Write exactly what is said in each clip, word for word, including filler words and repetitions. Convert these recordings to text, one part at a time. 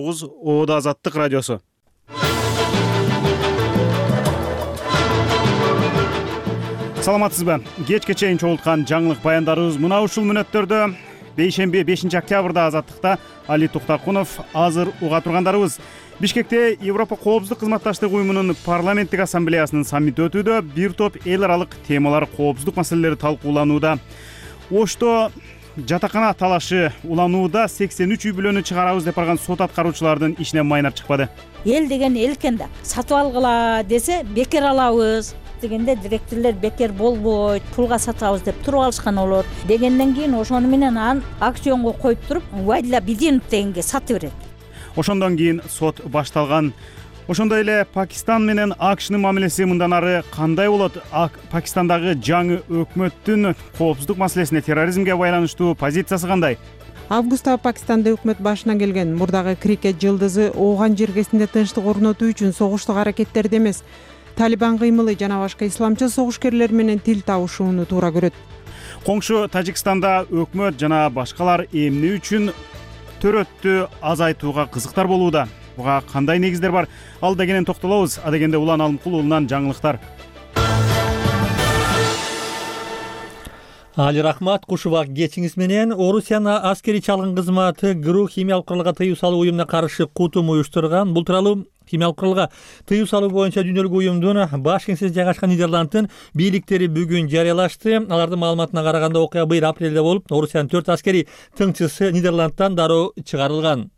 тогуз Оодо Азаттык радиосу. Саламатсызбы? Кечке чейин чогулткан жаңылык баяндарыбыз мына ушул мүнөттөрдө. Бейшемби бешинчи октябрда Азаттыкта Али Туктакунов. Азыр уга тургандарыбыз. Бишкекте Европа коопсуздук кызматташтык уюмунун парламенттик ассамблеясынын саммити өтүүдө. Бир топ эл аралык темалар, коопсуздук маселелери талкууланууда. Ошто жатакана талашы уланууда сексен үч үй бүлөнү чыгарабыз деп барган сот аткаруучулардын ишинен майнар чыкпады. Эл деген эл экен да. Сатып алгыла десе бекер алабыз дегенде директорлор бекер болбойт, пулга сатабыз деп туруп алышкан болот. Дегенден кийин ошону менен аны акционго коюп туруп, Вайдла Бидинов дегенге сатып берет. Ошондон кийин сот башталган. Ошондой эле Пакистан менен АКШнын мамилеси мындан ары кандай болот? Пакистандагы жаңы өкмөттүн коопсуздук маселесине, терроризмге байланыштуу позициясы кандай? Августта Пакистанда өкмөт башына келген мурдагы крикет жылдызы ооган жергесинде тынчтык орнотуу үчүн согуштук аракеттерди эмес, Талибан кыймылы жана башка исламчы согушкерлер менен тил табышууну туура көрөт. Коңшу Тажикстанда өкмөт жана башкалар эмне үчүн төрөттү азайтууга кызыктар болууда? Буга кандай негиздер бар? Ал дегенен токтолобуз. Адегенде Улан Алымкул уулунан жаңылыктар. Али рахмат, куш убак кечиңиз менен. Орусиянын аскери чалгын кызматы ГРУ химиялык куралга тыюу салуу уюмуна каршы кутум уюштурган. Бул тууралуу химиялык куралга тыюу салуу боюнча дүйнөлүк уюмдун баш кеңсеси жайгашкан Нидерландтын бийликтери бүгүн жарыялашты. Алардын маалыматына караганда окуя быйыл апрелде болуп, Орусиянын төрт аскери тыңчысы Нидерландтан дароо чыгарылган.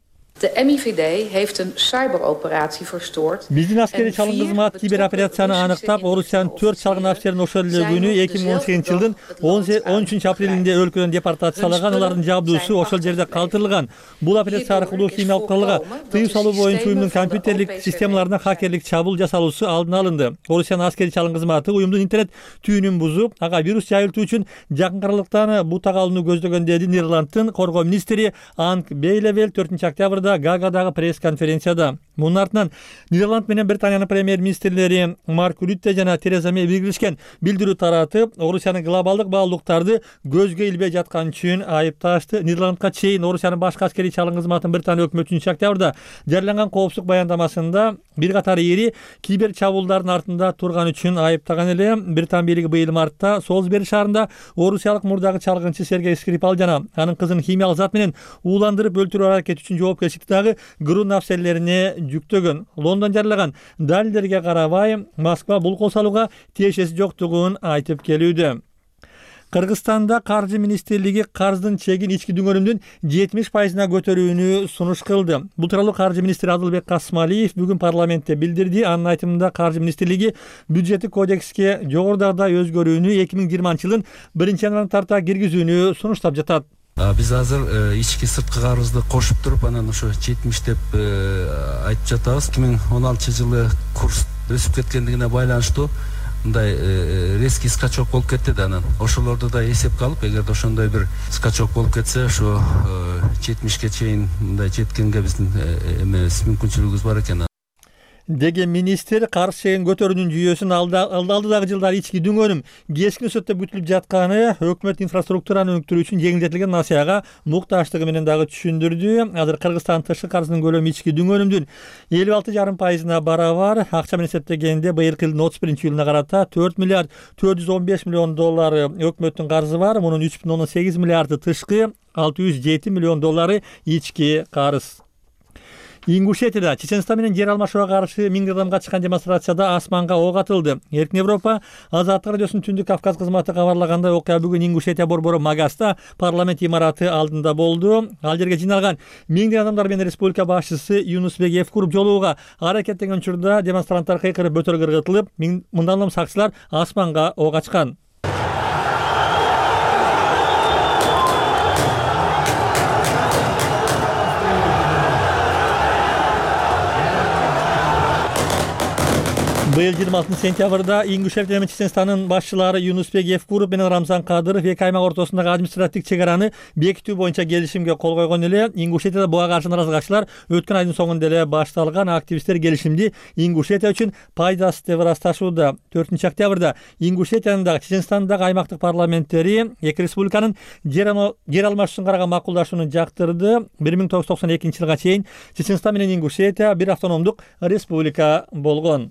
De M I V D heeft een cyberoperatie verstoord. Биздин аскери чалгын кызмат кибероперацияны аныктап, Орусиянын төрт чалгын офицерин ошол эле күнү эки миң он сегизинчи жылдын он үчүнчү апрелинде өлкөдөн депортацияланган, алардын жабдуусу ошол жерде калтырылган. Бул операция аркылуу химиялык куралга тыюу салуу боюнча уюмдун компьютерлик системаларына хакерлик чабуул жасалуусу алдын алынды. Орусиянын аскери чалгын кызматы уюмдун интернет түйүнүн бузуп, ага вирус жайылтуу үчүн жакын аралыктан бутак алууну көздөгөн деди Нидерландтын коргоо министри Анг Бейлевел төртүнчү октябрда Гаагадагы пресс-конференцияда. Мунун артынан Нидерланд менен Британиянын премьер-министрлери Марк Рютте жана Тереза Мэй биргелешкен билдирүү таратып, Орусиянын глобалдык баалуулуктарды көзгө илбей жаткан үчүн айыпташты. Нидерландка чейин Орусиянын башкы аскери чалгын кызматын Британия өкмөтү үчүнчү октябрда жарыяланган коопсуздук баяндамасында бир катар эри кибер чабуулдардын артында турган үчүн айыптаган эле. Британ бийлиги быйыл мартта Солсбери шаарында орусиялык мурдагы чалгынчы Сергей Скрипал жана анын кызын химиялык зат менен ууландырып өлтүрүү аракети үчүн жоопкерчиликти дагы ГРУ нафселерине жүктөгөн. Лондон жарылаган далилдерге карабай, Москва бул кол салууга тиешеси жоктугун айтып келүүдө. Кыргызстанда каржы министрлиги карздын чегин ички дүңгөрүмдүн жетимиш пайызына көтөрүүнү сунуш кылды. Бул тууралуу каржы министри Адылбек Касмалиев бүгүн парламентте билдирди. Анын айтымында каржы министрлиги бюджеттик кодекске жогорудагыдай өзгөрүүнү эки миң жыйырманчы жылдын биринчи январынан тарта киргизүүнү сунуштап жатат. Биз азыр ички сырткы карызды кошуп туруп, анан ошо жетимиш деп айтып жатабыз. эки миң он алтынчы жылы курс өсүп кеткендигине байланыштуу мындай резкий скачок болуп кетти да, анан ошолорду да эсепке алып, эгерде ошондой бир скачок болуп кетсе, ошо жетимишке чейин мындай жеткенге биздин эмебиз мүмкүнчүлүгүбүз бар экен деген министр. Карыз чегин көтөрүүнүн жүйөсүн алдыдагы жылдары ички дүңгөрүм кескин өсөттө бүтүлүп жатканы, өкмөт инфраструктураны өнүктүрүү үчүн жеңилдетилген насыяга мукташтыгы менен дагы түшүндүрдү. Азыр Кыргызстан тышкы карызынын көлөмү ички дүңгөрүмдүн элүү алты жарым пайызына барабар. Акча менен эсептегенде быйылкы жылдын отуз биринчи июлуна карата төрт миллиард төрт жүз он беш миллион доллары өкмөттүн карызы бар. Мунун үч бүтүн ондон сегиз миллиарды тышкы, алты жүз жети миллион доллары ички карыз. Ингушетияда Чеченстан менен жер алмашууга каршы миң адамга чыккан демонстрацияда асманга ок атылды. Эркин Европа Азаттык радиосунун Түндүк Кавказ кызматы кабарлагандай, окуя бүгүн Ингушетия борбору Магаста парламент имараты алдында болду. Ал жерге жиналган миңдеген адамдар менен республика башчысы Юнусбек Евкуруп жолугууга аракеттенген учурда демонстранттар кыйкырып бөтөлгө ыргытылып, мындан улам сакчылар асманга ок ачкан. Быйыл жыйырма алтынчы сентябрда Ингушетия менен Чеченстандын башчылары Юнусбек Евкуров менен Рамзан Кадыров эки аймак ортосундагы административдик чек араны бекитүү боюнча келишимге кол койгон эле. Ингушетияда буга каршы наразылыкчылар өткөн айдын соңунда эле башталган. Активисттер келишимди Ингушетия үчүн пайдасыз деп ырасташууда. төртүнчү октябрда Ингушетиянын дагы Чеченстандагы аймактык парламенттери эки республиканын жер алмашууну караган макулдашууну жактырды. бир миң тогуз жүз токсон экинчи жылга чейин Чеченстан менен Ингушетия бир автономдук республика болгон.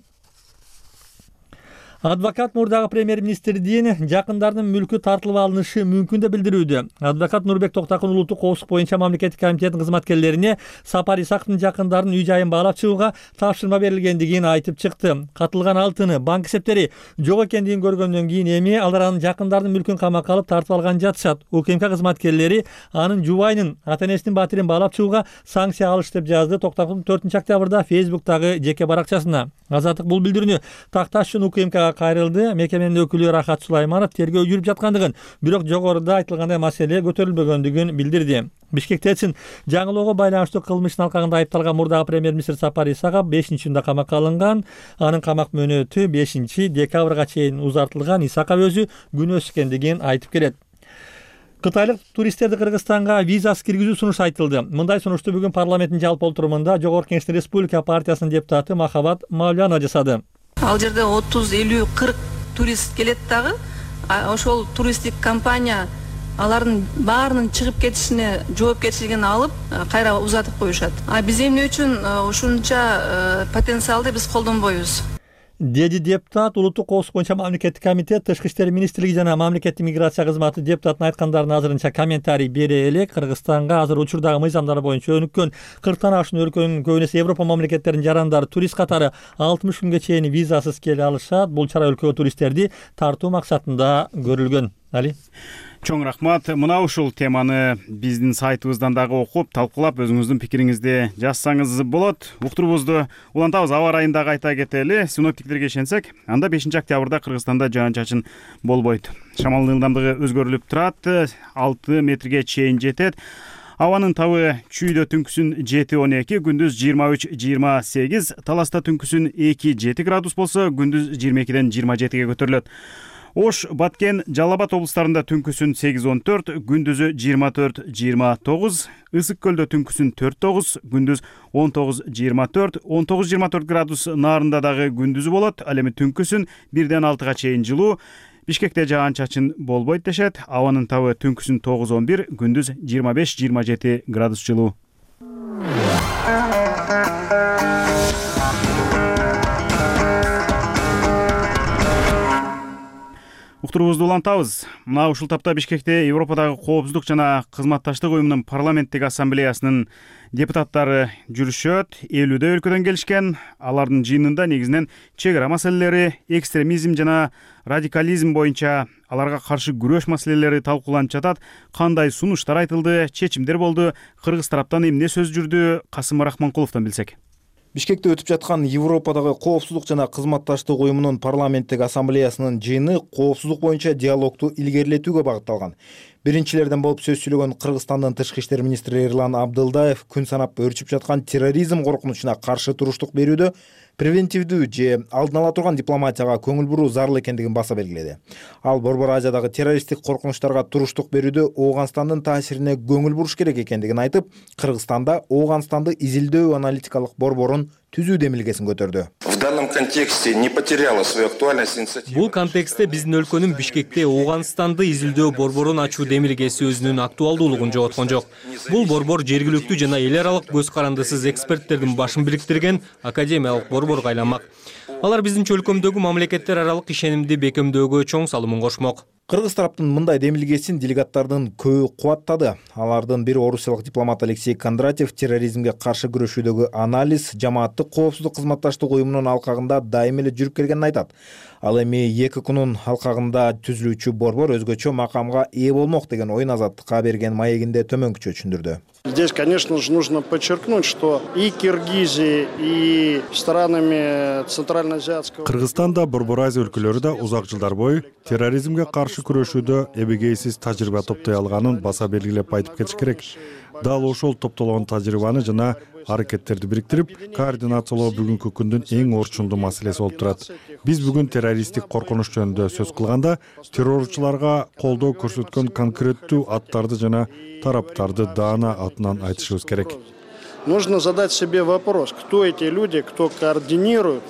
Адвокат мурдагы премьер-министрдин жакындарынын мүлкү тартылып алынышы мүмкүн деп билдирүүдө. Адвокат Нурбек Токтакун улуттук коопсуздук боюнча мамлекеттик комитеттин кызматкерлерине Сапар Исаковдун жакындарынын үй жайын баалап чыгууга тапшырма берилгендигин айтып чыкты. Катылган алтыны, банк эсептери жок экендигин көргөндөн кийин эми алар анын жакындарынын мүлкүн камакка алып тартып алган жатышат. УКМК кызматкерлери анын жубайынын, ата-энесинин батирин баалап чыгууга санкция алыш деп жазды Токтакун төртүнчү октябрда Фейсбуктагы жеке баракчасына. Азаттык бул билдирүүнү такташ үчүн УКМКга кайрылды. Мекеменин өкүлү Рахат Сулайманов тергөө жүрүп жаткандыгын, бирок жогоруда айтылгандай маселе көтөрүлбөгөндүгүн билдирди. Бишкектечин жаңылоого байланыштуу кылмыштын алкагында айыпталган мурдагы премьер-министр Сапар Исаков бешинчи июнда камакка алынган. Анын камак мөөнөтү бешинчи декабрга чейин узартылган. Исаков өзү күнөөсүз экендигин айтып келет. Кытайлык туристтерди Кыргызстанга визасыз киргизүү сунушу айтылды. Мындай сунушту бүгүн парламенттин жалпы отурумунда Жогорку Кеңештин Республика партиясынын депутаты Махабат Мавлянова жасады. Ал жерде отуз, элүү, кырк турист келет дагы. Ошол туристтик компания алардын баарынын чыгып кетишине жоопкерчилигин алып, кайра узатып коюшат. А биз эмне үчүн ушунча потенциалды биз колдонбойбуз? Деди депутат. Улуттук коопсуздук боюнча мамлекеттик комитет, Тышкы иштер министрлиги жана мамлекеттик миграция кызматы депутаттын айткандарын азырынча комментарий бере элек. Кыргызстанга азыр учурдагы мыйзамдар боюнча өнүккөн кырктан ашуун өлкөнүн көбүнесе Европа мамлекеттеринин жарандары турист катары алтымыш күнгө чейин визасыз келе алышат. Бул чара өлкөгө туристтерди тартуу максатында көрүлгөн. Али Чоң рахмат. Мына ушул теманы биздин сайтыбыздан дагы окуп, талкуулап, өзүңүздүн пикириңизди жазсаңыз болот. Уктурубузду улантабыз. Аба ырайын дагы айта кетели. Синоптиктерге ишенсек, анда бешинчи октябрда Кыргызстанда жаан-чачын болбойт. Шамалдын ылдамдыгы өзгөрүлүп турат, алты метрге чейин жетет. Абанын табы чүйдө түнкүсүн жети он эки, күндүз жыйырма үч жыйырма сегиз, Таласта түнкүсүн эки жети градус болсо, күндүз жыйырма экиден жыйырма жетиге көтөрүлөт. Ош, Баткен, Жалал Абад облустарында түнкүсүн сегиз он төрт, күндүзү жыйырма төрт жыйырма тогуз, Ысык көлдө түнкүсүн төрт тогуз, күндүз он тогуз жыйырма төрт, он тогуз жыйырма төрт градус Нарында дагы күндүзү болот. Ал эми түнкүсүн бирден алтыга чейин жылуу. Бишкекте жаан-чачын болбойт дешет. Абанын табы түнкүсүн тогуз он бир, күндүз жыйырма беш жыйырма жети градус жылуу. Уктурубузду улантабыз. Мына ушул тапта Бишкекте Европадагы коопсуздук жана кызматташтык уюмунун парламенттик ассамблеясынын депутаттары жүрүшөт. элүүдө өлкөдөн келишкен. Алардын жыйынында негизинен чек ара маселелери, экстремизм жана радикализм боюнча аларга каршы күрөш маселелери талкууланып жатат. Кандай сунуштар айтылды, чечимдер болду, кыргыз тараптан эмне сөз жүрдү? Касым Рахманкуловдон билсек. Бишкекте өтүп жаткан Европадагы коопсуздук жана кызматташтык уюмунун парламенттик ассамблеясынын жыйыны коопсуздук боюнча диалогду илгерилетүүгө багытталган. Биринчилерден болуп сөз сүйлөгөн Кыргызстандын Тышкы иштер министри Эрлан Абдылдаев күн санап өрчүп жаткан терроризм коркунучуна каршы туруштук берүүдө превентивдүү же алдын ала турган дипломатияга көңүл буруу зарыл экендигин баса белгиледи. Ал Борбор Азиядагы террористтик коркунучтарга туруштук берүүдө Ооганстандын таасирине көңүл буруш керек экендигин айтып, Кыргызстанда Ооганстанды изилдөө аналитикалык борборун түзүү демилгесин көтөрдү. В данном контексте не потеряла свою актуальность инициатива. Бул контекстте биздин өлкөнүн Бишкекте Ооганстанды изилдөө борборун ачуу демилгеси өзүнүн актуалдуулугун жоготкон жок. Бул борбор жергиликтүү жана эл аралык көз карандысыз эксперттердин башын бириктирген академиялык борборго айланмак. Алар биздинчи өлкөмдөгү мамлекеттер аралык ишенимди бекемдөөгө чоң салымын кошмок. Кыргыз тараптын мындай демилгесин делегаттардын көбү кубаттады. Алардын бири орусиялык дипломат Алексей Кондратьев терроризмге каршы күрөшүүдөгү анализ жамааттык коопсуздук кызматташтык уюмунун алкагында дайым эле жүрүп келгенин айтат. Ал эми эки күнүн алкагында түзүлүүчү борбор өзгөчө макамга ээ болмок деген оюн Азаттыкка берген маегинде төмөнкүчө түшүндүрдү. Здесь, конечно же, нужно подчеркнуть, что и Киргизией, и странами Центральноазиатского... Кыргызстанда Борбор Азия өлкөлөрү да узак жылдар бою терроризмге каршы күрөшүүдө эбегейсиз тажрыйба топтой алганын баса белгилеп айтып кетиш керек. дал ошол топтолгон тажрыйбаны жана аракеттерди бириктирип координациялоо бүгүнкү күндүн эң орчундуу маселеси болуп турат. Биз бүгүн террористтик коркунуч жөнүндө сөз кылганда террорчуларга колдоо көрсөткөн конкреттүү аттарды жана тараптарды даана атынан айтышыбыз керек. Нужно задать себе вопрос, кто эти люди, кто координирует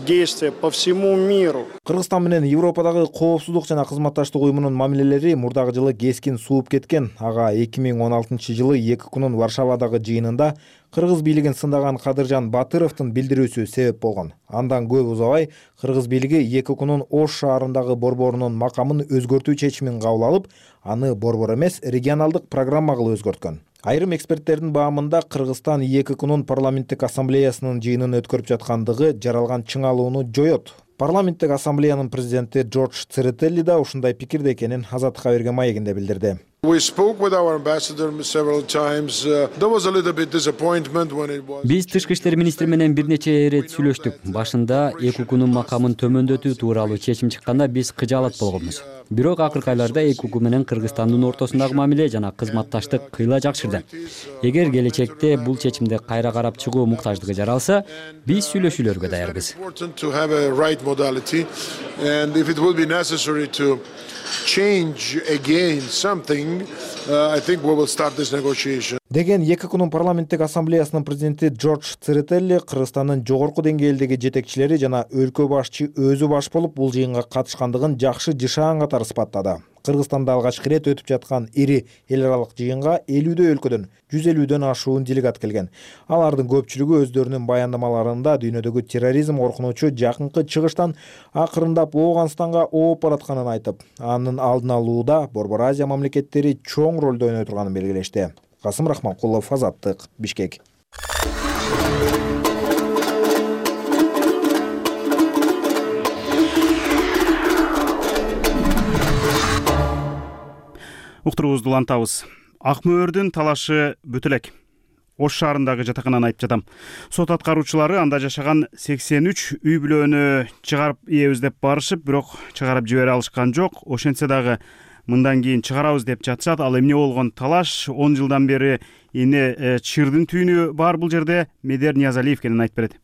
действия по всему миру. Кыргызстан менен Европадагы коопсуздук жана кызматташтык уюмунун мамилелери мурдагы жылы кескин сууп кеткен. Ага эки миң он алтынчы жылы эки күнүн Варшавадагы жыйынында кыргыз бийлигин сындаган Кадыржан Батыровдун билдирүүсү себеп болгон. Андан көп узабай кыргыз бийлиги эки күнүн Ош шаарындагы борборунун макамын өзгөртүү чечимин кабыл алып, аны борбор эмес, регионалдык программа кылып өзгөрткөн. Айрым эксперттердин баамында Кыргызстан эки күнүн парламенттик ассамблеясынын жыйынын өткөрүп жаткандыгы жаралган чыңалууну жоет. Парламенттик ассамблеянын президенти Джордж Церетели да ушундай пикирде экенин Азаттыкка берген маегинде билдирди. Биз тышкы иштер министри менен бир нече ирет сүйлөштүк. Башында эки күнүн макамын төмөндөтүү тууралуу чечим чыкканда биз кыжаалат болгонбуз. Бирок акыркы айларда эки УК менен Кыргызстандын ортосундагы мамиле жана кызматташтык кыйла жакшырды. Эгер келечекте бул чечимди кайра карап чыгуу муктаждыгы жаралса, биз сүйлөшүүлөргө даярбыз. Change again something, uh, I think we will start this negotiation. Деген эки күнүн парламенттик ассамблеясынын президенти Джордж Церетели Кыргызстандын жогорку деңгээлдеги жетекчилери жана өлкө башчы өзү баш болуп бул жыйынга катышкандыгын жакшы жышаан катары сыпаттады. Кыргызстанда алгачкы ирет өтүп жаткан ири эл аралык жыйынга элүүдөй өлкөдөн жүз элүүдөн ашуун делегат келген. Алардын көпчүлүгү өздөрүнүн баяндамаларында дүйнөдөгү терроризм коркунучу жакынкы чыгыштан акырындап Ооганстанга ооп баратканын айтып, анын алдын алууда Борбор Азия мамлекеттери чоң ролду ойной турганын белгилешти. Касым Рахманкулов, Азаттык, Бишкек. Уктуруубузду улантабыз. Ак мөөрдүн талашы бүтө элек. Ош шаарындагы жатакананы айтып жатам. Сот аткаруучулары анда жашаган сексен үч үй бүлөнү чыгарып ийебиз деп барышып, бирок чыгарып жибере алышкан жок. Ошентсе дагы мындан кийин чыгарабыз деп жатышат. Ал эмне болгон талаш он жылдан бери эне чырдын түйүнү бар бул жерде. Медер Ниязалиев кенен айтып берет.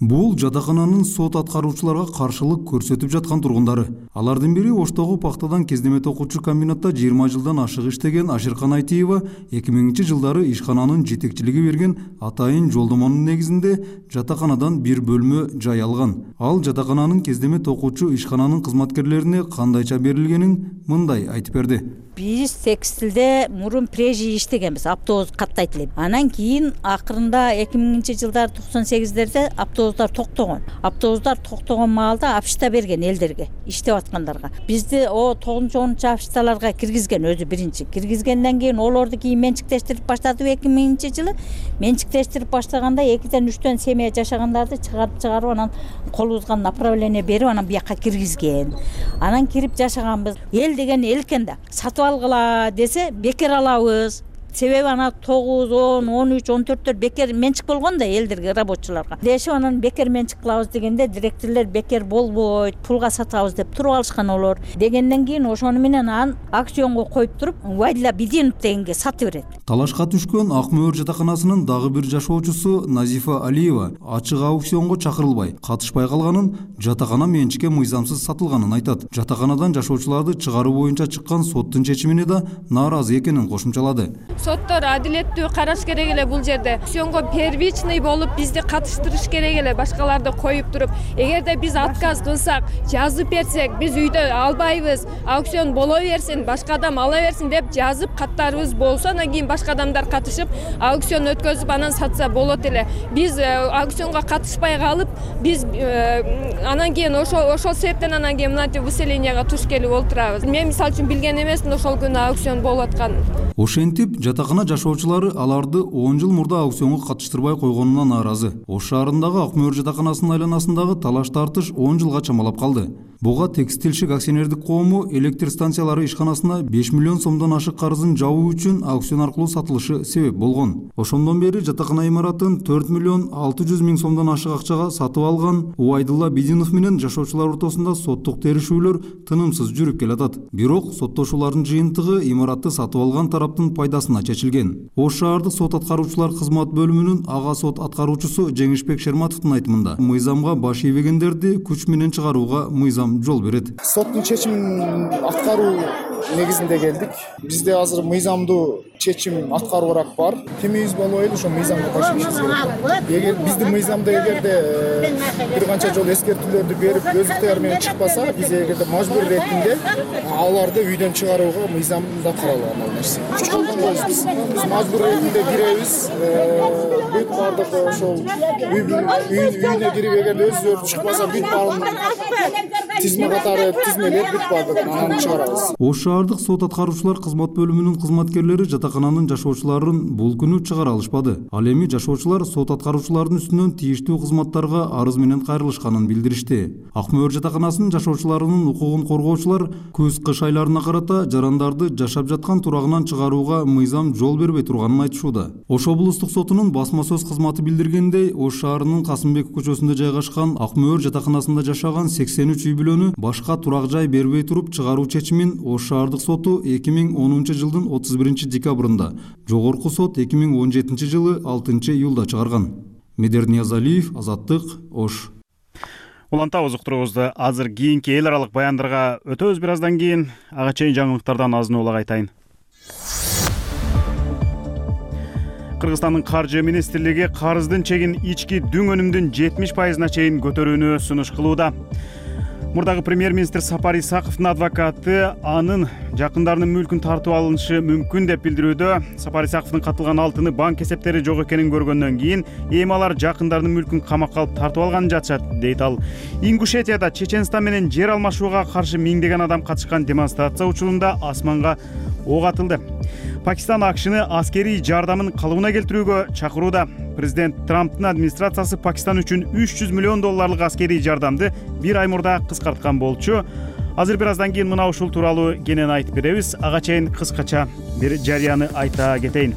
Бул жатакананын сот аткаруучуларга каршылык көрсөтүп жаткан тургундары. Алардын бири Оштогу пактадан кездеме токуучу комбинатта жыйырма жылдан ашык иштеген Ашыркан Айтиева эки миңинчи жылдары ишкананын жетекчилиги берген атайын жолдомонун негизинде жатаканадан бир бөлмө жай алган. Ал жатакананын кездеме токуучу ишкананын кызматкерлерине кандайча берилгенин мындай айтып берди. Биз текстилде мурун прежи иштегенбиз, автобус каттайт эле. Анан кийин акырында эки миңинчи жылдар токсон сегиздерде автобустар токтогон. Автобустар токтогон маалда апшта берген элдерге, иштеп аткандарга. Бизди о тогузунчу онунчу апшталарга киргизген өзү биринчи. Киргизгенден кийин олорду кийин менчиктештирип баштады эки миңинчи жылы. Менчиктештирип баштаганда экиден үчтөн семья жашагандарды чыгарып чыгарып анан колубузга направление берип анан бияка киргизген. Анан кирип жашаганбыз. Эл деген эл экен да. Сатып алгыла десе бекер алабыз. Себеби ана тогуз, он, он үч, он төрттөр бекер менчик болгон да элдерге, рабочуларга. Дешип анан бекер менчик кылабыз дегенде директорлор бекер болбойт, пулга сатабыз деп туруп алышкан олор. Дегенден кийин ошону менен ан акционго коюп туруп, Вайдила Бидинов дегенге сатып берет. Талашка түшкөн Ак мөөр жатаканасынын дагы бир жашоочусу Назифа Алиева ачык аукционго чакырылбай, катышпай калганын, жатакана менчикке мыйзамсыз сатылганын айтат. Жатаканадан жашоочуларды чыгаруу боюнча чыккан соттун чечимине да нааразы экенин кошумчалады. Соттор адилеттүү караш керек эле бул жерде. Аукционго первичный болуп бизди катыштырыш керек эле, башкаларды коюп туруп. Эгерде биз отказ кылсак, жазып берсек, биз үйдө албайбыз, аукцион боло берсин, башка адам ала берсин деп жазып каттарыбыз болсо, анан кийин башка адамдар катышып, аукцион өткөзүп анан сатса болот эле. Биз аукционго катышпай калып, биз анан кийин ошол ошол себептен анан кийин мынтип выселенияга туш келип олтурабыз. Мен мисалы үчүн билген эмесмин ошол күнү аукцион болуп атканын. Ошентип жатакана жашоочулары аларды он жыл мурда аукционго катыштырбай койгонуна нааразы. Ош шаарындагы Ак мөөр жатаканасынын айланасындагы талаш тартыш он жылга чамалап калды. буга текстилшик акционердик коому электр станциялары ишканасына беш миллион сомдон ашык карызын жабуу үчүн аукцион аркылуу сатылышы себеп болгон. Ошондон бери жатакана имаратын төрт миллион алты жүз миң сомдон ашык акчага сатып алган Убайдулла Бидинов менен жашоочулар ортосунда соттук терешүүлөр тынымсыз жүрүп келатат. Бирок соттошуулардын жыйынтыгы имаратты сатып алган тараптын пайдасына чечилген. Ош шаардык сот аткаруучулар кызмат бөлүмүнүн ага сот аткаруучусу Жеңишбек Шерматовдун айтымында мыйзамга баш ийбегендерди күч менен чыгарууга мыйзам жол берет. Соттун чечимин аткаруу негизинде келдик. Бизде азыр мыйзамдуу чечим аткаруураак бар. Кимибиз болбойлу ошо мыйзамга ташыйбыз керек. Эгер биздин мыйзамда эгерде бир канча жолу эскертүүлөрдү берип өз ыктыяры менен чыкпаса, биз эгерде мажбур иретинде аларды үйдөн чыгарууга мыйзамда каралган ал нерсе. Күч колдонбойбуз биз. Биз мажбур иретинде киребиз. Бүт бардык ошол үйүнө кирип эгерде өзү чыкпаса, бүт баарын тизме катары тизмелеп бүт бардык анан чыгарабыз. Ош шаардык сот аткаруучулар кызмат бөлүмүнүн кызматкерлери жатакананын жашоочуларын бул күнү чыгара алышпады. Ал эми жашоочулар сот аткаруучулардын үстүнөн тийиштүү кызматтарга арыз менен кайрылышканын билдиришти. Ак Мөөр жатаканасынын жашоочуларынын укугун коргоочулар көз-кыш айларына карата жарандарды жашап жаткан турагынан чыгарууга мыйзам жол бербей турганын айтышууда. Ош облустук сотунун басма сөз кызматы билдиргендей, Ош шаарынын Касымбек көчөсүндө жайгашкан Ак Мөөр жатаканасында жашаган сексен үч үй бүлөнү башка турак жай бербей туруп чыгаруу чечимин Ош шаардык соту эки миң онунчу жылдын отуз биринчи декабрында, жогорку сот эки миң он жетинчи жылы алтынчы июлда чыгарган. Медер Ниязалиев, Азаттык, Ош. Улантабыз уктуруубузду. Азыр кийинки эл аралык баяндарга өтөбүз. Бир аздан кийин ага чейин жаңылыктардан азын улак айтайын. Кыргызстандын каржы министрлиги карыздын чегин ички дүң өнүмдүн жетимиш пайызына чейин көтөрүүнү сунуш кылууда. Мурдагы премьер-министр Сапар Исаковдун адвокаты анын жакындарынын мүлкүн тартып алынышы мүмкүн деп билдирүүдө. Сапар Исаковдун катылган алтыны банк эсептери жок экенин көргөндөн кийин эми алар жакындарынын мүлкүн камакка алып тартып алганын жатышат, дейт ал. Ингушетияда Чеченстан менен жер алмашууга каршы миңдеген адам катышкан демонстрация учурунда асманга ок атылды. Пакистан АКШны аскерий жардамын калыбына келтирүүгө чакырууда. Президент Трамптын администрациясы Пакистан үчүн үч жүз миллион долларлык аскерий жардамды бир ай мурда кыскарткан болчу. Азыр бир аздан кийин мына ушул тууралуу кенен айтып беребиз. Ага чейин кыскача бир жарыяны айта кетейин.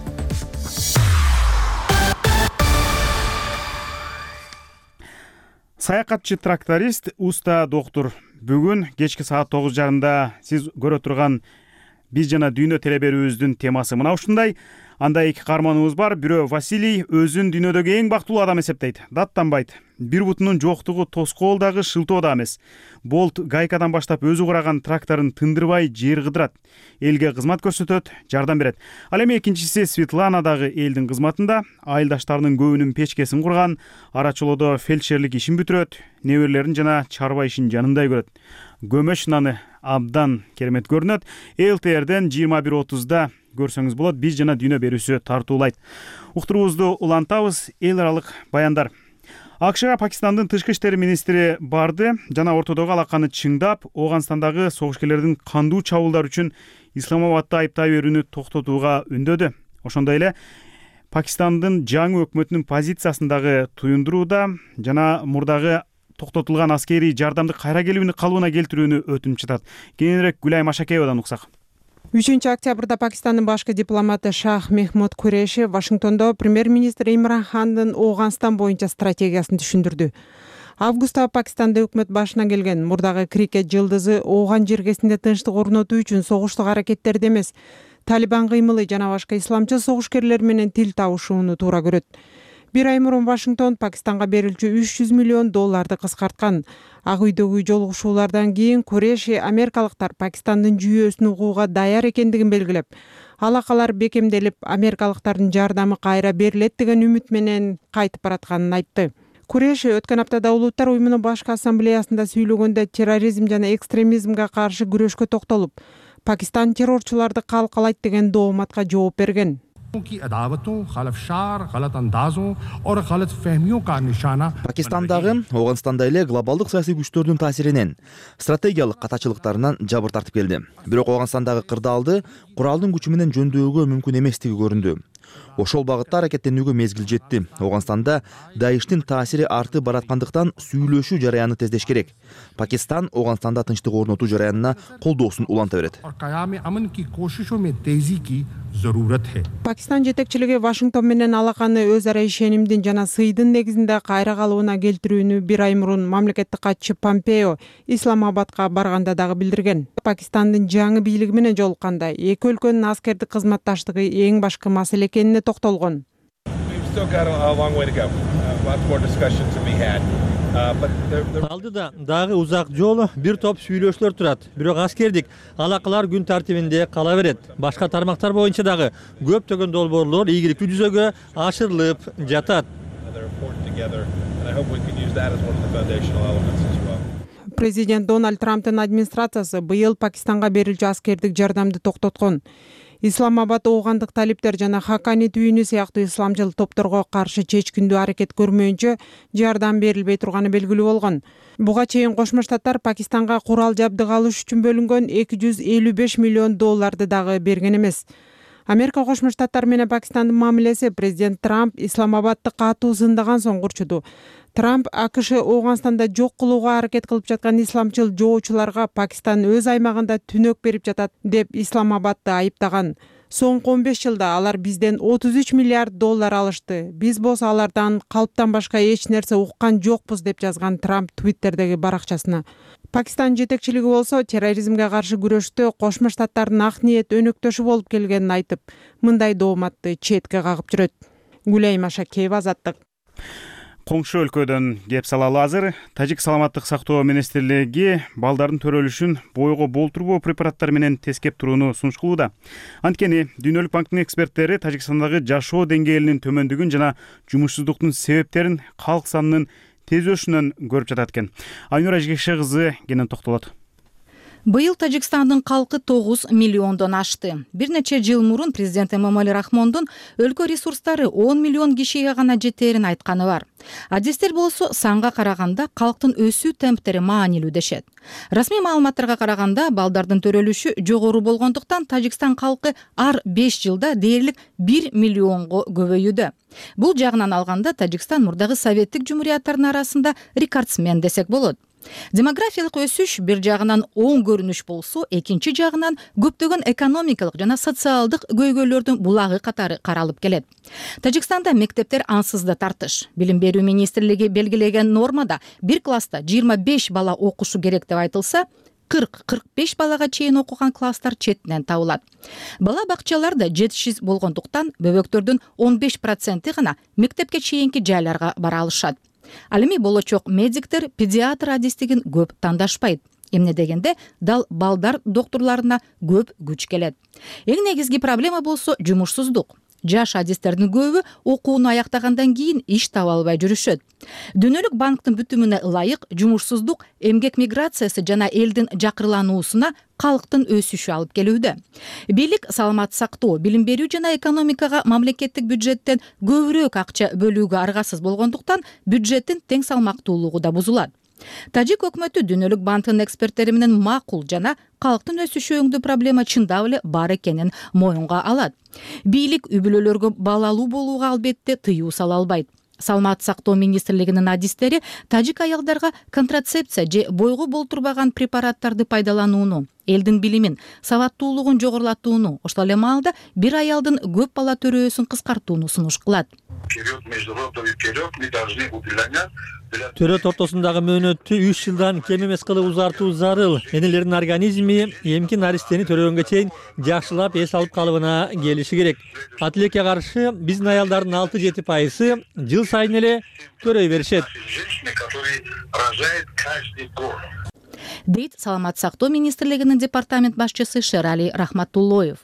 Саякатчы тракторист Уста доктур бүгүн кечки саат тогуз жарымда сиз көрө турган Биз жана дүйнө телеберүүбүздүн темасы мына ушундай. Анда эки каарманыбыз бар. Бирөө Василий өзүн дүйнөдөгү эң бактылуу адам эсептейт. Даттанбайт. Бир бутунун жоктугу тоскоол дагы шылтоо да эмес. Болт гайкадан баштап өзү кураган тракторун тындырбай жер кыдырат. Элге кызмат көрсөтөт, жардам берет. Ал эми экинчиси Светлана дагы элдин кызматында. Айылдаштарынын көбүнүн печкесин курган, арачолоодо фельдшерлик ишин бүтүрөт, неберелерин жана чарба ишин жанындай көрөт. Көмөш наны абдан керемет көрүнөт. эл тэ эрден жыйырма бир отузда көрсөңүз болот. Биз жана дүйнө берүүсү тартуулайт. Уктуруубузду улантабыз. Эл аралык баяндар. АКШга Пакистандын тышкы иштер министри барды жана ортодогу алаканы чыңдап, Ооганстандагы согушкерлердин кандуу чабуулдар үчүн Исламабадты айыптай берүүнү токтотууга үндөдү. Ошондой эле Пакистандын жаңы өкмөтүнүн позициясындагы туюндурууда жана мурдагы токтотулган аскерий жардамды кайра келүүнү калыбына келтирүүнү өтүнүп жатат. Кийинирээк Гүлай Машакеевадан уксак. үчүнчү октябрда Пакистандын башкы дипломаты Шах Мехмуд Куреши Вашингтондо премьер-министр Имран Хандын Ооганстан боюнча стратегиясын түшүндүрдү. Августта Пакистанда өкмөт башына келген мурдагы крикет жылдызы Ооган жергесинде тынчтык орнотуу үчүн согуштук аракеттерди эмес, Талибан кыймылы жана башка исламчы согушкерлер менен тил табышууну туура көрөт. Бир ай мурун Вашингтон Пакистанга берилчү үч жүз миллион долларды кыскарткан. Ак үйдөгү жолугушуулардан кийин Куреши америкалыктар Пакистандын жүйөсүн угууга даяр экендигин белгилеп, алакалар бекемделип, америкалыктардын жардамы кайра берилет деген үмүт менен кайтып баратканын айтты. Куреши өткөн аптада Улуттар уюмунун башкы ассамблеясында сүйлөгөндө терроризм жана экстремизмге каршы күрөшкө токтолуп, Пакистан террорчуларды калкалайт деген дооматка жооп берген. Пакистандагы, Ооганстанда эле глобалдык саясий күчтөрдүн таасиринен, стратегиялык катачылыктарынан жабыр тартып келди. Бирок Ооганстандагы кырдаалды куралдын күчү менен жөндөөгө мүмкүн эместиги көрүндү. Ошол багытта аракеттенүүгө мезгил жетти. Ооганстанда Даиштин таасири артып бараткандыктан сүйлөшүү жараяны тездеш керек. Пакистан Ооганстанда тынчтык орнотуу жараянына колдоосун уланта берет. Пакистан жетекчилиги Вашингтон менен алаканы өз ара ишенимдин жана сыйдын негизинде кайра калыбына келтирүүнү бир ай мурун мамлекеттик катчы Помпео Исламабадка барганда дагы билдирген. Пакистандын жаңы бийлиги менен жолукканда эки өлкөнүн аскердик кызматташтыгы эң башкы маселе экенине токтолгон. Алдыда дагы узак жол, бир топ сүйлөшүүлөр турат. Бирок аскердик алакалар күн тартибинде кала берет. Башка тармактар боюнча дагы көптөгөн долбоорлор ийгиликтүү жүзөгө ашырылып жатат. Президент Дональд Трамптын администрациясы быйыл Пакистанга берилчү аскердик жардамды токтоткон. Исламабад оогандык талиптер жана Хакани түйүнү сыяктуу исламчыл топторго каршы чечкиндүү аракет көрмөйүнчө жардам берилбей турганы белгилүү болгон. Буга чейин Кошмо Штаттар Пакистанга курал жабдык алыш үчүн бөлүнгөн эки жүз элүү беш миллион долларды дагы берген эмес. Америка Кошмо Штаттар менен Пакистандын мамилеси президент Трамп Исламабадды катуу сындаган соң курчуду. Трамп АКШ Ооганстанда жок кылууга аракет кылып жаткан исламчыл жоочуларга Пакистан өз аймагында түнөк берип жатат деп Исламабадды айыптаган. Соңку он беш жылда алар бизден отуз үч миллиард доллар алышты. Биз болсо алардан калптан башка эч нерсе уккан жокпуз деп жазган Трамп Твиттердеги баракчасына. Пакистан жетекчилиги болсо терроризмге каршы күрөштө Кошмо Штаттардын ак ниет өнөктөшү болуп келгенин айтып, мындай дооматты четке кагып жүрөт. Гүлайым Ашакеева, Азаттык. Коңшу өлкөдөн кеп салалы азыр. Тажик саламаттык сактоо министрлиги балдардын төрөлүшүн бойго болтурбоо препараттары менен тескеп турууну сунуш кылууда. Анткени Дүйнөлүк банктын эксперттери Тажикстандагы жашоо деңгээлинин төмөндүгүн жана жумушсуздуктун себептерин калк санынын тез өсүшүнөн көрүп жатат экен. Айнура Жигеше кызы кенен токтолот. Быйыл Тажикстандын калкы тогуз миллиондон ашты. Бир нече жыл мурун президент Эмомали Рахмондун өлкө ресурстары он миллион кишиге гана жетерин айтканы бар. Адистер болсо санга караганда калктын өсүү темптери маанилүү дешет. Расмий маалыматтарга караганда балдардын төрөлүшү жогору болгондуктан Тажикстан калкы ар беш жылда дээрлик бир миллионго көбөйүүдө. Бул жагынан алганда Тажикстан мурдагы советтик жумурияттардын арасында рекордсмен десек болот. Демографиялык өсүш бир жагынан оң көрүнүш болсо, экинчи жагынан көптөгөн экономикалык жана социалдык көйгөйлөрдүн булагы катары каралып келет. Тажикстанда мектептер ансыз да тартыш. Билим берүү министрлиги белгилеген нормада бир класста жыйырма беш бала окушу керек деп айтылса, кырк кырк беш балага чейин окуган класстар четинен табылат. Бала бакчаларда жетишсиз болгондуктан бөбөктөрдүн он беш проценти гана мектепке чейинки жайларга бара алышат. Ал эми болочок медиктер, педиатр адистигин көп тандашпайт. Эмне дегенде дал балдар доктурларына көп күч келет. Эң негизги проблема болсо жумушсуздук. Жаш адистердин көбү окууну аяктагандан кийин иш таба албай жүрүшөт. Дүйнөлүк банктын бүтүмүнө ылайык жумушсуздук эмгек миграциясы жана элдин жакырлануусуна калктын өсүшү алып келүүдө. Бийлик саламат сактоо, билим берүү жана экономикага мамлекеттик бюджеттен көбүрөөк акча бөлүүгө аргасыз болгондуктан бюджеттин тең салмактуулугу да бузулат. Тажик өкмөтү Дүйнөлүк банктын эксперттери менен макул жана калктын өсүшү өңдүү проблема чындап эле бар экенин моюнга алат. Бийлик үй бүлөлөргө балалуу болууга албетте тыюу сала албайт. Саламат сактоо министрлигинин адистери тажик аялдарга контрацепция же бойго болтурбаган препараттарды пайдаланууну, элдин билимин, сабаттуулугун жогорулатууну, ошол эле маалда бир аялдын көп бала төрөөсүн кыскартууну сунуш кылат. Төрөт ортосундагы мөөнөттү үч жылдан кем эмес кылып узартуу зарыл. Энелердин организми эмки наристени төрөгөнгө чейин жакшылап эс алып калыбына келиши керек. Атилекке каршы биздин аялдардын алты жети пайызы жыл сайын эле төрөй беришет. Дейт саламат сактоо министрлигинин департамент башчысы Шерали Рахматуллоев.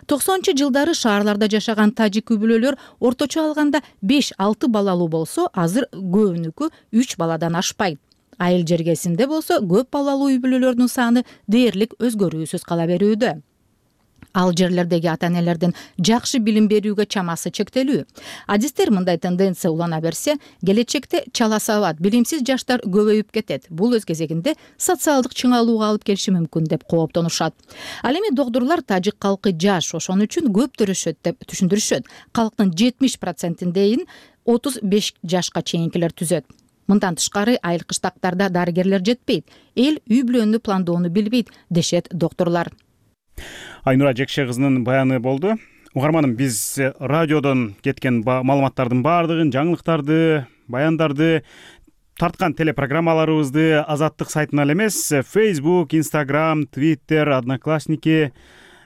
токсонунчу жылдары шаарларда жашаган тажик үй бүлөлөр орточо алганда беш алты балалуу болсо, азыр көбүнүкү үч баладан ашпайт. Айыл жергесинде болсо көп балалуу үй бүлөлөрдүн саны дээрлик өзгөрүүсүз кала берүүдө. ал жерлердеги ата энелердин жакшы билим берүүгө чамасы чектелүү. Адистер мындай тенденция улана берсе, келечекте чала сабат, билимсиз жаштар көбөйүп кетет. Бул өз кезегинде социалдык чыңалууга алып келиши мүмкүн деп кооптонушат. Ал эми доктурлар тажик калкы жаш, ошон үчүн көп төрөшөт деп түшүндүрүшөт. Калктын жетимиш процентиндейин отуз беш жашка чейинкилер түзөт. Мындан тышкары айыл кыштактарда дарыгерлер жетпейт, эл үй бүлөнү пландоону билбейт, дешет доктурлар. Айнура Жекше кызынын баяны болду. Угарманым, биз радиодон кеткен маалыматтардын баардыгын, жаңылыктарды, баяндарды, тарткан телепрограммаларыбызды Азаттык сайтынан элемес, Facebook, Instagram, Twitter, Одноклассники,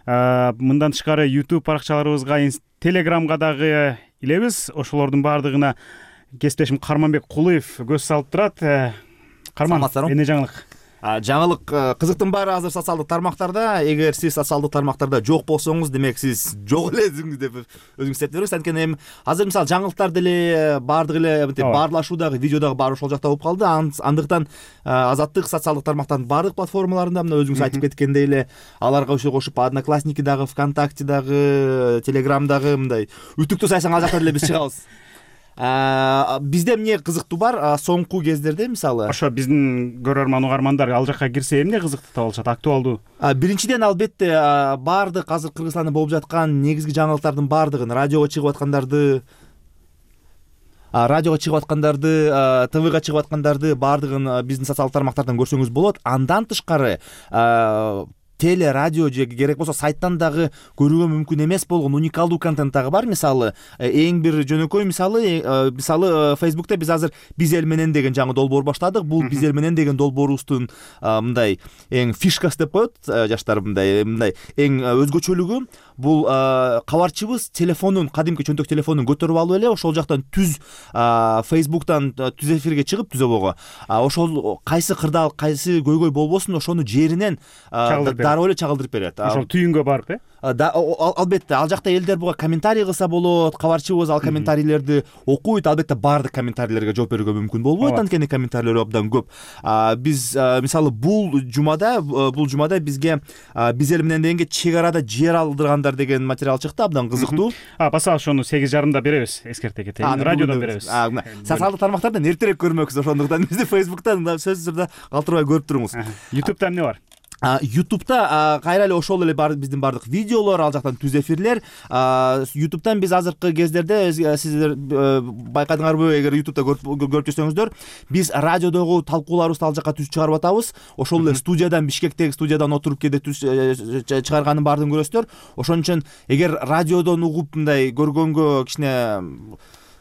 мындан тышкары YouTube баракчаларыбызга, Telegramга дагы илебиз. Ошолордун баардыгына кесиптешим Карманбек Кулуев көз салып турат. Карман, эмне жаңылык? Жаңылык кызыктын баары азыр социалдык тармактарда. Эгер сиз социалдык тармактарда жок болсоңуз, демек сиз жок элесиңиз деп өзүңүз сезип бериңиз. Анткени эми азыр мисалы жаңылыктар деле баардыгы эле мынтип баарлашуудагы, видеодагы баары ошол жакта болуп калды. Андыктан Азаттык социалдык тармактардын баардык платформаларында, мына өзүңүз айтып кеткендей эле, аларга кошуп Одноклассники дагы, ВКонтакте дагы, Телеграмдагы мындай үтүктүү сайсаң ал жакта деле биз чыгабыз. Бизде эмне кызыктуу бар соңку кездерде мисалы? Ошо биздин көрөрман угармандар ал жакка кирсе эмне кызыктуу табылышат, актуалдуу? Биринчиден албетте баардык азыр Кыргызстанда болуп жаткан негизги жаңылыктардын баардыгын, радиого чыгып аткандарды, радиого чыгып аткандарды, ТВга чыгып аткандарды баардыгын биздин социалдык тармактардан көрсөңүз болот. Андан тышкары теле, радио же керек болсо сайттан дагы көрүүгө мүмкүн эмес болгон уникалдуу контент дагы бар. Мисалы, эң бир жөнөкөй мисалы, мисалы Facebook'та биз азыр биз эл менен деген жаңы долбоор баштадык. Бул биз эл менен деген долбоорубуздун мындай эң фишкасы деп коет жаштар, мындай мындай эң өзгөчөлүгү бул кабарчыбыз телефонун, кадимки чөнтөк телефонун көтөрүп алып эле ошол жактан түз Facebook'тан түз эфирге чыгып, түзөбөгө ошол кайсы кырдаал, кайсы көйгөй болбосун, ошону жеринен дароо эле чагылдырып берет. Ошол түйүнгө барып, э? Албетте, ал жакта элдер буга комментарий кылса болот, кабарчыбыз ал комментарийлерди окуйт. Албетте, баардык комментарийлерге жооп берүүгө мүмкүн болбойт, анткени комментарийлер абдан көп. Биз мисалы бул жумада, бул жумада бизге биз эл менен дегенге чек арада жер алдыргандар деген материал чыкты, абдан кызыктуу. Баса ошону сегиз жарымда беребиз, эскерте кетейин. Радиодон беребиз. Социалдык тармактардан эртерээк көрмөксүз, ошондуктан бизди Facebook'тан сөзсүз түрдө калтырбай көрүп туруңуз. YouTube'да эмне бар? YouTube'да кайра эле ошол эле бар биздин баардык видеолор, ал жактан түз эфирлер. YouTube'дан биз азыркы кездерде сиздер байкадыңарбы, эгер YouTube'да көрүп жүрсөңүздөр, биз радиодогу талкууларыбызды ал жакка түз чыгарып атабыз. Ошол эле студиядан, Бишкектеги студиядан отуруп кээде түз чыгарганын баардыгын көрөсүздөр. Ошон үчүн эгер радиодон угуп мындай көргөнгө кичине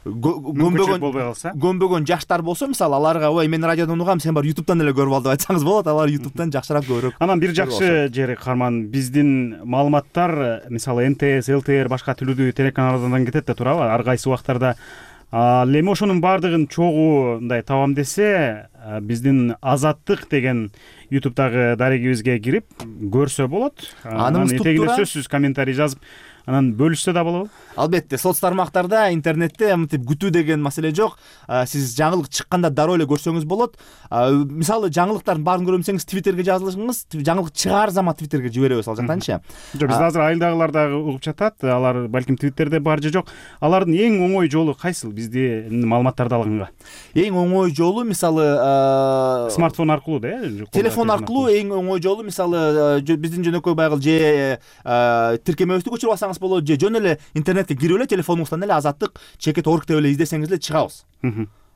көнбөгөн жаштар болсо, мисалы аларга ой мен радиодон угам, сен бар YouTube'дан эле көрүп ал деп айтсаңыз болот. Алар YouTube'дан жакшыраак көрөт. Анан бир жакшы жери Карман, биздин маалыматтар мисалы эн тэ эс, эл тэ эр башка тилдүү телеканалдардан кетет да турабы, ар кайсы убактарда. Ал эми ошонун баардыгын чогуу мындай табам десе, биздин Азаттык деген YouTube'дагы дарегибизге кирип көрсө болот. Анын этегине сөзсүз комментарий жазып, анан бөлүшсө да болобу? Албетте, соц тармактарда, интернетте мынтип күтүү деген маселе жок. Сиз жаңылык чыкканда дароо эле көрсөңүз болот. Мисалы жаңылыктардын баарын көрөм десеңиз, Twitterге жазылыңыз, жаңылык чыгаар замат Twitterге жиберебиз ал жактанчы. Жок, биз азыр айылдагылар дагы угуп жатат. Алар балким Twitterде бар же жок. Алардын эң оңой жолу кайсыл бизди маалыматтарды алганга? Эң оңой жолу мисалы смартфон аркылуу да, э? Телефон аркылуу эң оңой жолу мисалы биздин жөнөкөй байгыл же тиркемебизди көчүрүп алсаңыз болот, же жөн эле интернетке кирип эле телефонуңуздан эле Азаттык чекит орг деп эле издесеңиз эле чыгабыз.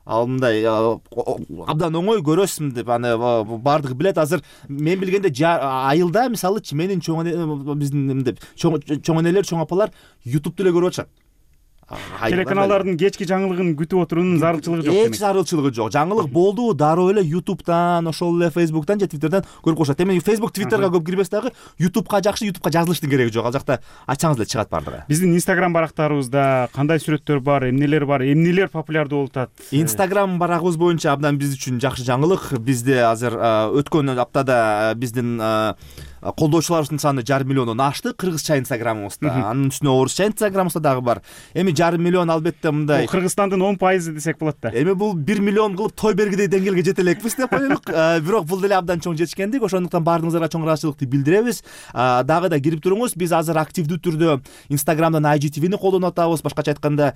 Ал мындай абдан оңой, көрөсүм деп аны баардыгы билет. Азыр мен билгенде айылда мисалы менин чоң биздин мындай чоң энелер, чоң апалар YouTube'ду эле көрүп атышат. Телеканалдардын кечки жаңылыгын күтүп отуруунун зарылчылыгы жок демек. Эч зарылчылыгы жок. Жаңылык болду, дароо эле YouTube'дан, ошол эле Facebook'тан же Twitter'дан көрүп коюшат. Эми Facebook, Twitter'га көп кирбес дагы, YouTube'га жакшы, YouTube'га жазылыштын кереги жок. Ал жакта ачсаңыз эле чыгат баардыгы. Биздин Instagram барактарыбызда кандай сүрөттөр бар, эмнелер бар, эмнелер популярдуу болуп атат? Instagram барагыбыз боюнча абдан биз үчүн жакшы жаңылык. Бизде азыр өткөн аптада биздин колдоочуларыбыздын саны жарым миллиондон ашты кыргызча инстаграмыбызда, анын үстүнө орусча инстаграмыбызда дагы бар. Эми жарым миллион албетте мындай Кыргызстандын он пайызы десек болот да. Эми бул бир миллион кылып той бергидей деңгээлге жете элекпиз деп коелук. Бирок бул деле абдан чоң жетишкендик, ошондуктан баарыңыздарга чоң ыраазычылыкты билдиребиз. Дагы да кирип туруңуз. Биз азыр активдүү түрдө Инстаграмдан ай джи ти ви-ни колдонуп атабыз. Башкача айтканда,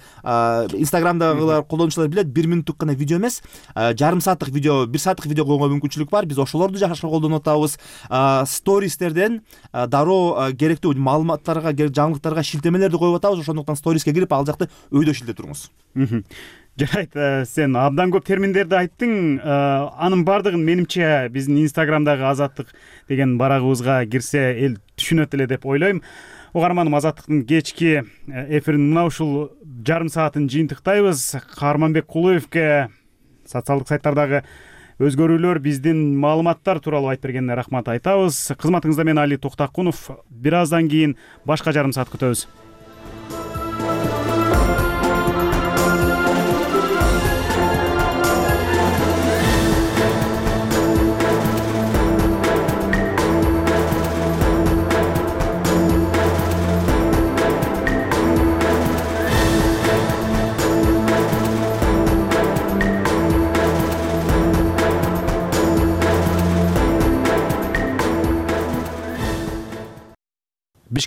Инстаграмдагылар колдонуучулар билет, бир мүнөттүк гана видео эмес, жарым сааттык видео, бир сааттык видео коюнга мүмкүнчүлүк бар. Биз ошолорду жакшы колдонуп атабыз. Стористерден дароо керектүү маалыматтарга, жаңылыктарга шилтемелерди коюп атабыз. Ошондуктан сториске кирип, ал жакты өйдө шилтеп туруңуз. Жарайт, сен абдан көп терминдерди айттың. Анын бардыгын менимче биздин Инстаграмдагы Азаттык деген барагыбызга кирсе эл түшүнөт эле деп ойлойм. Угарманым, Азаттыктын кечки эфирин мына ушул жарым саатын жыйынтыктайбыз. Каарманбек Кулуевке социалдык сайттардагы өзгөрүүлөр, биздин маалыматтар тууралуу айтып бергенине рахмат айтабыз. Кызматыңызда мен Али Токтакунов. Бир аздан кийин башка жарым саат күтөбүз.